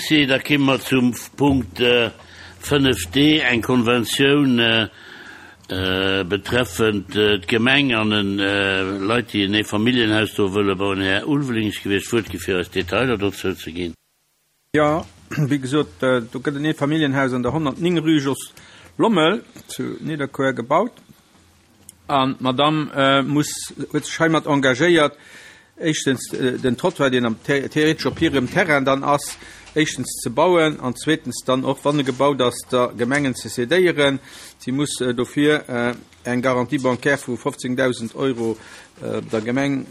Merci. Da kimme mer zum Punkt 5d, eng Konventioun betreffend d'Gemeng an Leit, déi en Eefamilljenhaus do wëlle bauen. Här Ulveling, ech géif Iech d'Wuert gi fir eis Detailer dozou ze ginn. Jo, wéi gesot, do gëtt en Eefamilljenhaus an der 109 Rue Jos Lommel zu Nidderkuer gebaut. An d'Madamm muss, huet sech heimat engagéiert, éischtens den Trottoir, deen am theoretesch op hirem Terrain dann ass, éischtens ze bauen an zweetens dann och, wann e gebaut ass, der Gemengen ze cédéieren. Si muss dofir eng Garantie bancaire vu 15.000 Euro der Gemeng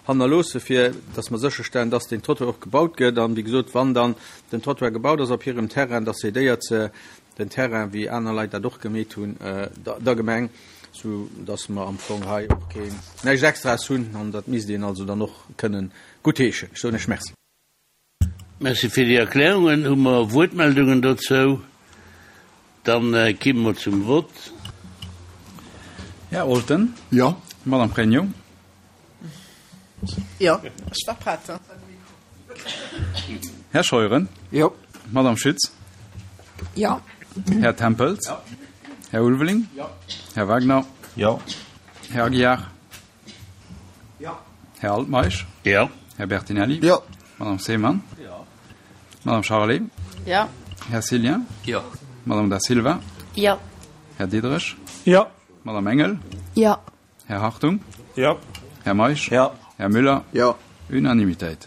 hannerloossen, fir dass mer sécherstellen, dass deen Trottoir och gebaut gëtt. An, wéi gesot, wann dann den Trottoir gebaut ass op hirem Terrain, da cédéiert se den Terrain, wéi aner Leit dat och gemeet hunn, der Gemeng, sou dass mer am Fong hei och keen, näischt Extraes hunn an dat misst een also dann och kënnen guttheeschen. Ech soen Iech Merci. Merci fir déi Erklärungen. Hu mer Wuertmeldungen dozou? Dann kimme mer zum Vott. Här Olten. Jo. Madame Pregno. Jo, ech war prett. Här Scheuren. Jo. Madame Schütz. Jo. Här Tempels. Jo. Här Ulveling. Jo. Här Wagner. Jo. Här Aguiar. Jo. Här Altmeisch. Jo. Här Bertinelli. Jo. Madame Seemann. Jo. Madame Charlé. Jo. Här Cillien. Jo. Madame Da Silva. Jo. Här Diderich. Jo. Madame Engel. Jo. Här Hartung. Jo. Här Meisch. Jo. Här Müller. Jo. Unanimitéit.